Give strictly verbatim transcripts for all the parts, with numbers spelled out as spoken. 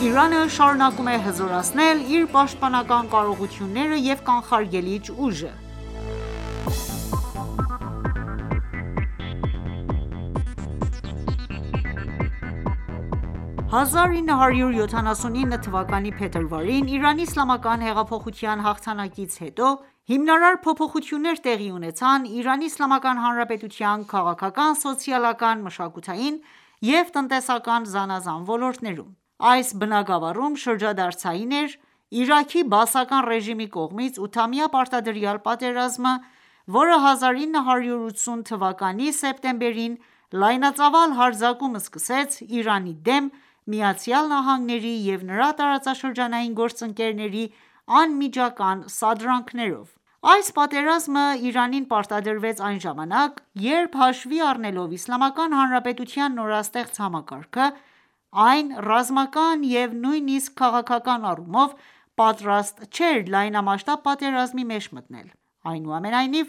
Իրանը շարունակում է հզորացնել իր պաշտպանական կարողությունները և կանխարգելիչ ուժը: հազար ինը հարյուր յոթանասունինը թվականի փետրվարին Իրանի իսլամական հեղափոխության հաղթանակից հետո հիմնարար փոփոխություններ տեղի ունեցան Իրանի Իսլամական Հանրապետության քաղաքական, սոցիալական, մշակութային և տնտեսական զանազան ոլորտներում: Այս բնագավառում շրջադարձային էր Իրաքի բաասական ռեժիմի կողմից ութամյա պարտադրյալ պատերազմը, որը հազար ինը հարյուր ութսուն թվականի սեպտեմբերին լայնածավալ հարձակում սկսեց Իրանի դեմ ԱՄՆ-ի և նրա տարածաշրջանային գործընկերների անմիջական սադրանքներով: Այս պատերազմը Իրանին պարտադրվեց այն ժամանակ, երբ հաշվի առնելով Իսլամական Հանրապետության նորաստեղծ համակարգը, այն ռազմական և նույնիսկ քաղաքական առումով պատրաստ չէր լայնամասշտաբ պատերազմի մեջ մտնել: Այնուամենայնիվ,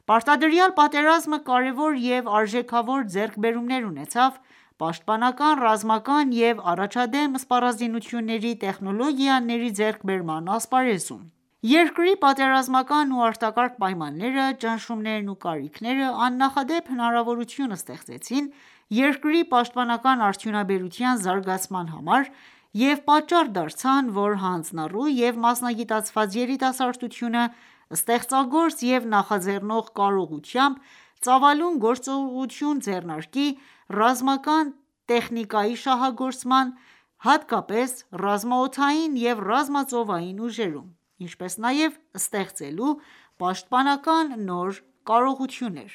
պարտադրյալ պատերազմը կարևոր և արժեքավոր ձեռքբերումներ ունեցավ պաշտպանական, ռազմական և առաջադեմ սպառազինությունների տեխնոլոգիաների ձեռքբերման ասպարեզում: Երկրի պատերազմական ու արտակարգ պայմանները, ճնշումներն ու կարիքները աննախադեպ հնարավորություն ստեղծեցին երկրի պաշտպանական արդյունաբերության զարգացման համար և պատճառ դարձան, որ հանձնառու և մասնագիտացված երիտասարդությունը ստեղծագործ և նախաձեռնող կարողությամբ ծավալուն գործողություն ձեռնարկի ռազմական տեխնիկայի շահագործման, հատկապես ռազմաօդային և ռազմածովային ուժերում, ինչպես նաև ստեղծելու պաշտպանական նոր կարողություններ: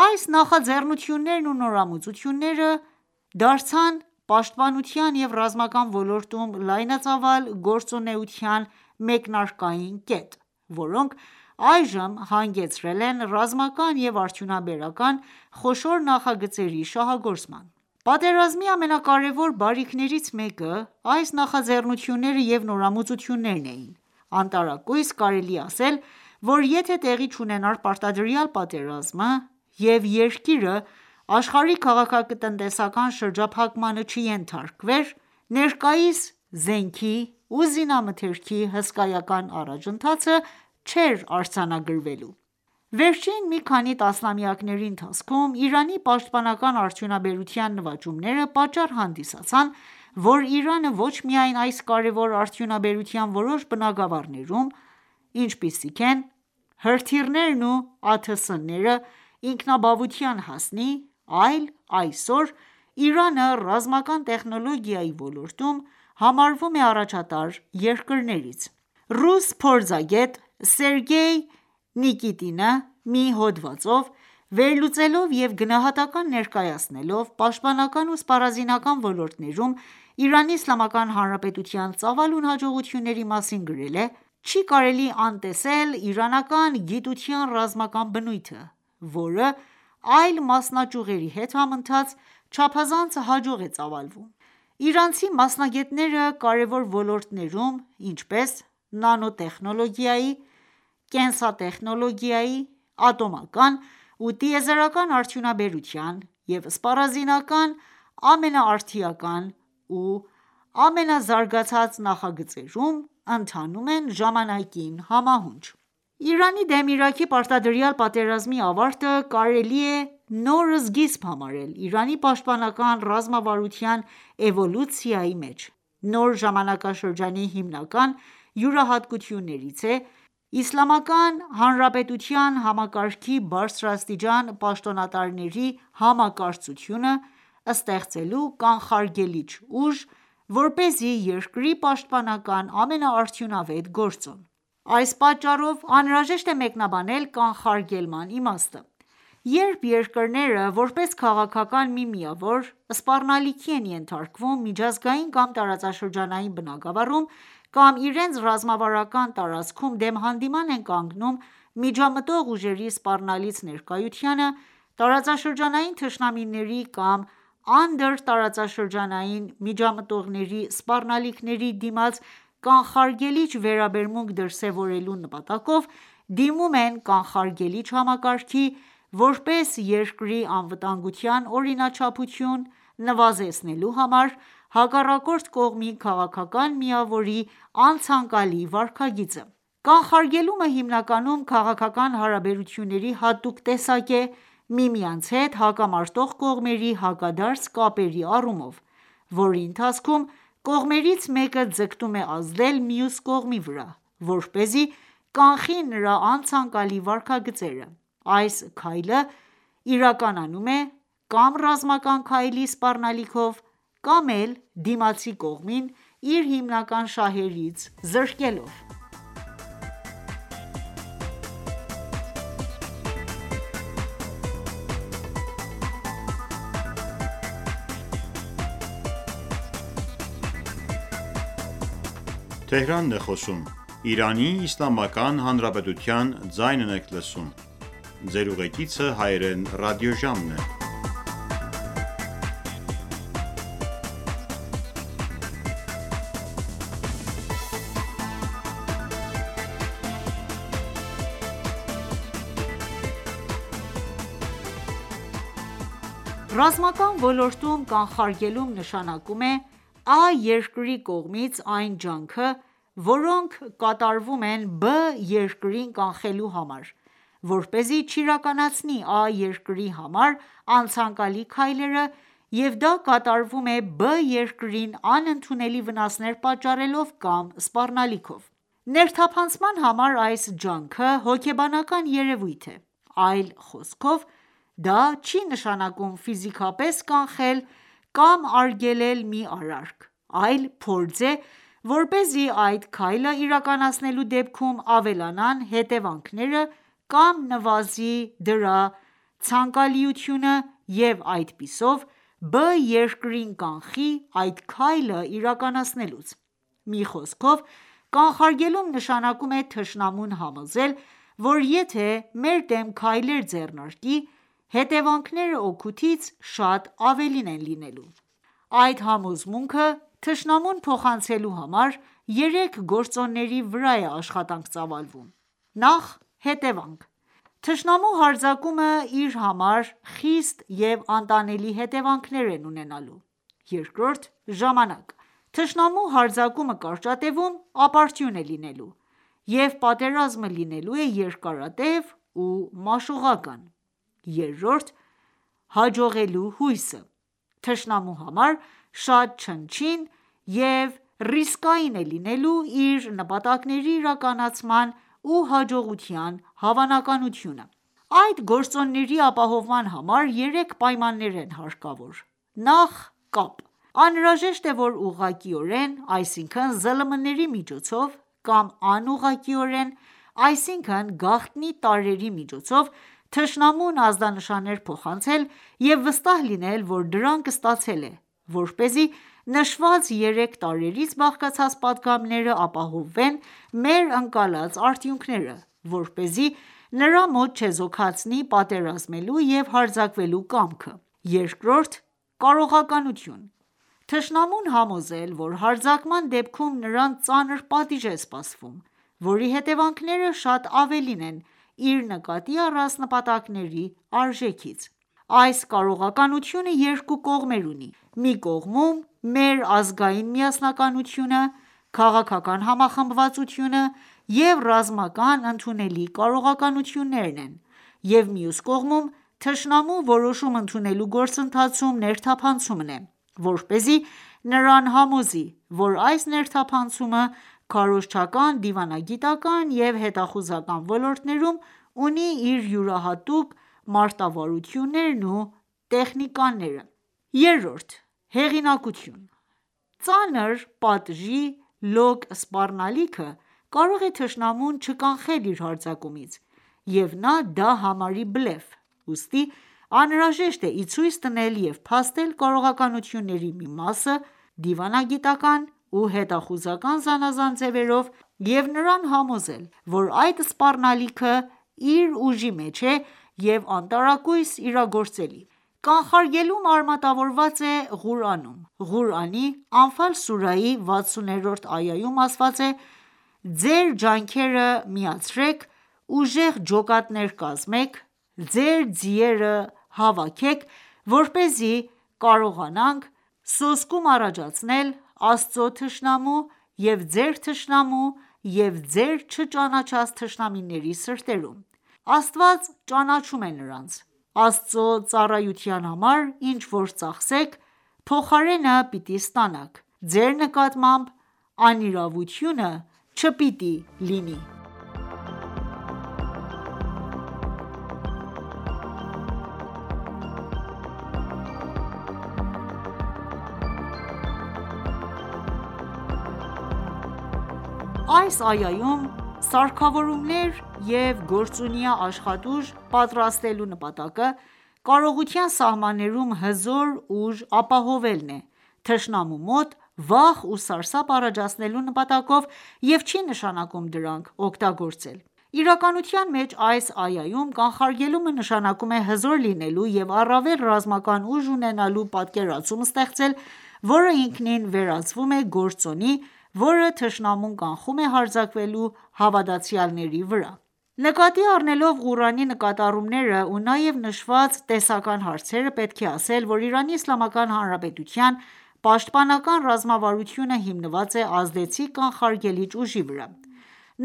Այս նախաձեռնություններն ու նորամուծությունները դարձան պաշտպանության և ռազմական ոլորտում լայնածավալ գործունեության մեկնարկային կետ, որոնք այժմ հանգեցրել են ռազմական և արդյունաբերական խոշոր նախագծերի շահագործման: Պատերազմի ամենակարևոր բարիքներից մեկը այս նախաձեռնությունները և նորամուծություններն էին: Անտարակույս կարելի է ասել, որ եթե տեղի չունենար պարտադրյալ պատերազմը և երկիրը աշխարհի քաղաքական-տնտեսական շրջափակմանը չենթարկվեր, ներկայիս զենքի ու զինամթերքի հսկայական առաջընթացը չէր արձանագրվելու: Վերջին մի քանի տասնամյակների ընթացքում Իրանի պաշտպանական արդյունաբերության նվաճումները պատճառ հանդիսացան, որ Իրանը ոչ միայն այս կարևոր արդյունաբերության որոշ բնագավառներում, ինչպիսիք են հրթիռներն ու ԱԹՍ-ները, ինքնաբավության հասնի, այլ այսօր Իրանը ռազմական տեխնոլոգիայի ոլորտում համարվում է առաջատար երկրներից: Ռուս փորձագետ Սերգեյ Նիկիտինը մի հոդվածով, վերլուծելով և գնահատական ներկայացնելով պաշտպանական ու սպառազինական ոլորտներում Իրանի Իսլամական Հանրապետության ծավալուն հաջողությունների մասին գրել է.«Չի կարելի անտեսել իրանական գիտության ռազմական բնույթը, որը այլ մասնաճյուղերի հետ համընթաց չափազանց հաջող է ծավալվում: Իրանցի մասնագետները կարևոր ոլորտներում, ինչպես նանոտեխնոլոգիայի, կենսատեխնոլոգիայի, ատոմական ու տիեզերական արդյունաբերության և սպառազինական ամենաարդիական ու ամենազարգացած նախագծերում ընթանում են ժամանակին համահունչ»: Իրանի դեմ Իրաքի պարտադրյալ պատերազմի ավարտը կարելի է նոր սկիզբ համարել Իրանի պաշտպանական ռազմավարության էվոլյուցիայի մեջ: Նոր ժամանակաշրջանի հիմնական յուրահատկություններից է Իսլամական Հանրապետության համակարգի բարձրաստիճան պաշտոնատարների համակարծությունը ստեղծելու կանխարգելիչ ուժ, որպեսզի երկրի պաշտպանական ամենաարդյունավետ գործոն: Այս պատճառով անհրաժեշտ է մեկնաբանել կանխարգելման իմաստը: Երբ երկրները, որպես քաղաքական մի միավոր, սպառնալիքի են ենթարկվում միջազգային կամ տարածաշրջանային բնագավառում կամ իրենց ռազմավարական տարածքում դեմ հանդիման են կանգնում միջամտող ուժերի սպառնալից ներկայությանը, տարածաշրջանային թշնամիների կամ անդրտարածաշրջանային միջամտողների սպառնալիքների դիմաց կանխարգելիչ վերաբերմունք դրսևորելու նպատակով դիմում են կանխարգելիչ համակարգի, որպես երկրի անվտանգության օրինաչափություն, նվազեցնելու համար հակառակորդ կողմի քաղաքական միավորի անցանկալի վարքագիծը: Կանխարգելումը հիմնականում քաղաքական հարաբերությունների հատուկ տեսակ է՝ միմյանց հետ հակամարտող կողմերի հակադարձ կապերի առումով, որի ընթացքում կողմերից մեկը ձգտում է ազդել մյուս կողմի վրա, որպեսզի կանխի նրա անցանկալի վարքագծերը: Այս քայլը իրականանում է կա՛մ ռազմական քայլի սպառնալիքով, կամ էլ դիմացի կողմին իր հիմնական շահերից զրկելով: Ռազմական ոլորտում կանխարգելում նշանակում է Ա երկրի կողմից այն ջանքը, որոնք կատարվում են Բ երկրին կանխելու համար, որպեսզի չիրականացնի Ա երկրի համար անցանկալի քայլերը և դա կատարվում է Բ երկրին անընդունելի վնասներ պատճառելով կամ սպառնալիքով: Ներթափանցման համար այս ջանքը հոգեբանական երևույթ է: Այլ խոսքով, դա չի նշանակում ֆիզիկապես կանխել կամ արգելել մի արարք, այլ փորձ է, որպեսզի այդ քայլը իրականացնելու դեպքում ավելանան հետևանքները կամ նվազի դրա ցանկալիությունը և այդպիսով Բ երկրին կանխի այդ քայլը իրականացնելուց: Մի խոսքով, կանխարգելում նշանակում է թշնամուն համոզել, որ եթե մեր դեմ քայլեր ձեռնարկի, հետևանքները օգուտից շատ ավելին են լինելու: Այդ համոզմունքը թշնամուն փոխանցելու համար երեք գործոնների վրա է աշխատանք ծավալվում: Նախ՝ հետևանք. Թշնամու հարձակումը իր համար խիստ և անտանելի հետևանքներ են ունենալու: Երկրորդ՝ ժամանակ. Թշնամու հարձակումը կարճատևում ապարդյուն է լինելու, և պատերազմը լինելու է երկարատև ու մաշողական: Երրորդ՝ հաջողելու հույսը. Թշնամու համար շատ չնչին և ռիսկային է լինելու իր նպատակների իրականացման ու հաջողության հավանականությունը: Այդ գործոնների ապահովման համար երեք պայմաններ են հարկավոր: Նախ՝ կապ. Անհրաժեշտ է, որ ուղղակիորեն, այսինքն ԶԼՄ-ների միջոցով կամ անուղղակիորեն, այսինքն գաղտնի տարրերի միջոցով թշնամուն ազդանշաններ փոխանցել և վստահ լինել, որ դրանք ստացել է, որպեսզի նշված երեք տարրերից բաղկացած պատգամները ապահովեն մեր ընկալած արդյունքները, որպեսզի նրա մոտ չեզոքացնի պատերազմելու և հարձակվելու կամքը: Երկրորդ՝ կարողականություն. Թշնամուն համոզել, որ հարձակման դեպքում նրան ծանր պատիժ է սպասվում, որի հետևանքները շատ ավելին են իր նկատի առած նպատակների արժեքից: Այս կարողականությունը երկու կողմեր ունի: Մի կողմում մեր ազգային միասնականությունը, քաղաքական համախմբվածությունը և ռազմական ընդունելի կարողականություններն են և մյուս կողմում թշնամու որոշում ընդունելու գործընթացում ներթափանցումն է, որպեսզի նրան համոզի, որ այս ներթափանցումը քարոզչական, դիվանագիտական և հետախուզական ոլորտներում ունի իր յուրահատուկ մարտավարություններն ու տեխնիկաները: Երրորդ՝ հեղինակություն. Ծանր պատժի լոկ սպառնալիքը կարող է թշնամուն չկանխել իր հարձակումից և նա դա համարի բլեֆ: Ուստի անհրաժեշտ է ի ցույց դնել և փաստել կարողականությունների մի մասը դիվանագիտական ու հետախուզական զանազան ձևերով և նրան համոզել, որ այդ սպառնալիքը իր ուժի մեջ է և անտարակույս իրագործելի: Կանխարգելում արմատավորված է Ղուրանում: Ղուրանի Անֆալ սուրահի վաթսուներորդ այայում ասված է. «Ձեր ջանքերը միացրեք, ուժեղ ջոկատներ կազմեք, ձեր ձիերը հավաքեք, որպեսզի կարողանանք սոսկում առաջացնել Աստծո թշնամու և ձեր թշնամու և ձեր չճանաչած թշնամիների սրտերում: Աստված ճանաչում է նրանց: Աստծո ծառայության համար ինչ որ ծախսեք, փոխարենը պիտի ստանաք: Ձեր նկատմամբ անիրավությունը չպիտի լինի: Այս այայում սարքավորումներ և գործունյա աշխատուժ պատրաստելու նպատակը կարողության սահմաններում հզոր ուժ ապահովելն է, թշնամու մոտ վախ ու սարսափ առաջացնելու նպատակով և չի նշանակում դրանք օգտագործել: Իրականության մեջ այս այայում կանխարգելումը նշանակում է հզոր լինելու և առավել ռազմական ուժ ունենալու պատկերացում ստեղծել, որը ինքնին վերածվում է գործոնի, որը թշնամուն կանխում է հարձակվելու հավատացյալների վրա: Նկատի առնելով Ղուրանի նկատառումները ու նաև նշված տեսական հարցերը, պետք է ասել, որ Իրանի Իսլամական Հանրապետության պաշտպանական ռազմավարությունը հիմնված է ազդեցիկ կանխարգելիչ ուժի վրա: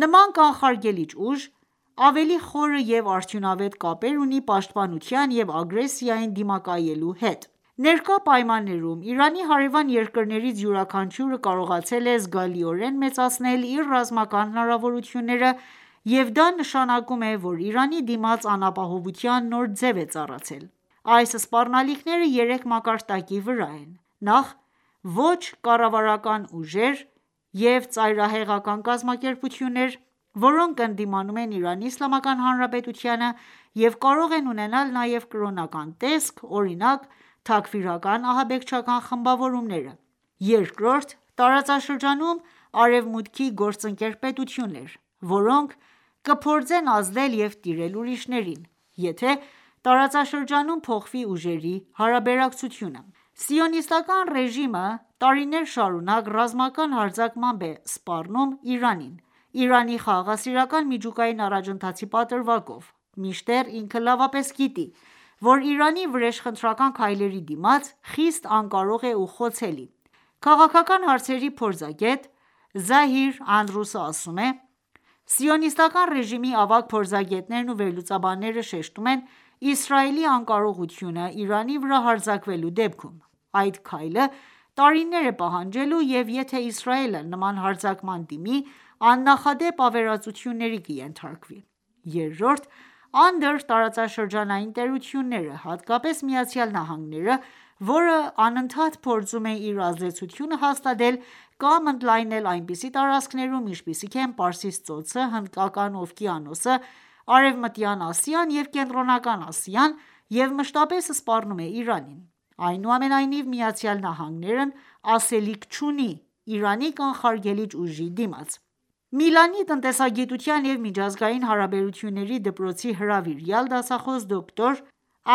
Նման կանխարգելիչ ուժ ավելի խորը և արդյունավետ կապեր ունի պաշտպանության և ագրեսիային դիմակայելու հետ: Ներկա պայմաններում Իրանի հարևան երկրներից յուրաքանչյուրը կարողացել է զգալիորեն մեծացնել իր ռազմական հնարավորությունները և դա նշանակում է, որ Իրանի դիմաց անապահովության նոր ձև է ծառացել: Այս սպառնալիքները երեք մակարդակի վրա են: Նախ՝ ոչ կառավարական ուժեր և ծայրահեղական կազմակերպություններ, որոնք ընդդիմանում են Իրանի Իսլամական Հանրապետությանը և կարող են ունենալ նաև կրոնական տեսք, օրինակ՝ թաքֆիրական ահաբեկչական խմբավորումները: Երկրորդ՝ տարածաշրջանում Արևմուտքի գործընկեր պետություններ, որոնք կփորձեն ազդել և տիրել ուրիշներին, եթե տարածաշրջանում փոխվի ուժերի հարաբերակցությունը: Սիոնիստական ռեժիմը տարիներ շարունակ ռազմական հարձակմամբ է սպառնում Իրանին, Իրանի խաղաղասիրական միջուկային առաջընթացի պատրվակով, մինչդեռ ինքը լավապես գիտի, որ Իրանի վրեժխնդրական քայլերի դիմաց խիստ անկարող է ու խոցելի: Քաղաքական հարցերի փորձագետ Զահիր Անդրուսը ասում է. «Սիոնիստական ռեժիմի ավագ փորձագետներն ու վերլուծաբանները շեշտում են Իսրայելի անկարողությունը Իրանի վրա հարձակվելու դեպքում: Այդ քայլը տարիներ է պահանջելու և եթե Իսրայելը նման հարձակման դիմի, աննախադեպ ավերածությունների կենթարկվի: Երրորդ՝ անդրտարածաշրջանային տերությունները, հատկապես ԱՄՆ-ը, որը անընդհատ փորձում է իր ազդեցությունը հաստատել կամ ընդլայնել այնպիսի տարածքներում, ինչպիսիք են Պարսից ծոցը, Հնդկական օվկիանոսը, Արևմտյան Ասիան և Կենտրոնական Ասիան և մշտապես սպառնում է Իրանին: Այնուամենայնիվ, ԱՄՆ-ն ասելիք չունի Իրանի կանխարգելիչ ուժի դիմաց»: Միլանի տնտեսագիտության և միջազգային հարաբերությունների դպրոցի հրավիրյալ դասախոս դոկտոր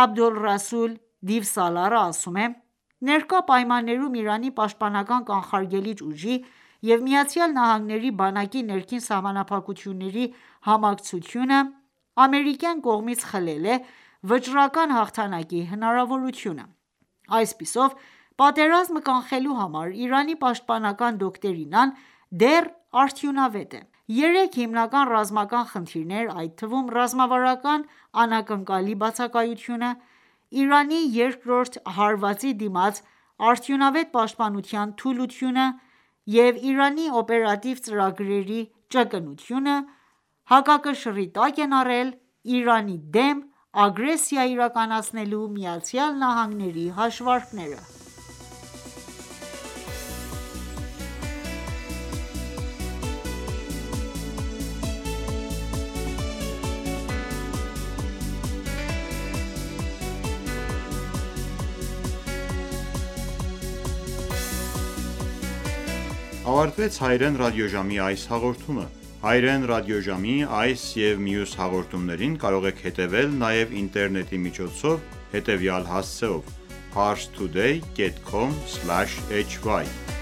Աբոլռասուլ Դիվսալարը ասում է. «Ներկա պայմաններում Իրանի պաշտպանական կանխարգելիչ ուժի և ԱՄՆ-ի բանակի ներքին սահմանափակությունների համակցությունը ամերիկյան կողմից խլել է վճռական հաղթանակի հնարավորությունը: Այսպիսով, պատերազմը կանխելու համար Իրանի պաշտպանական դոկտրինան դեռ արդյունավետ է: Երեք հիմնական ռազմական խնդիրներ, այդ թվում՝ ռազմավարական անակնկալի բացակայությունը, Իրանի երկրորդ հարվածի դիմաց արդյունավետ պաշտպանության թուլությունը և Իրանի օպերատիվ ծրագրերի ճկունությունը, հակակշռի տակ են առել Իրանի դեմ ագրեսիա իրականացնելու ԱՄՆ-ի հաշվարկները»: Ավարտվեց հայրեն ռադիոժամի այս հաղորդումը: Հայրեն ռադիոժամի այս և մյուս հաղորդումներին կարող եք հետևել նաև ինտերնետի միջոցով հետևյալ հասցեով՝ Parstoday dot com slash hy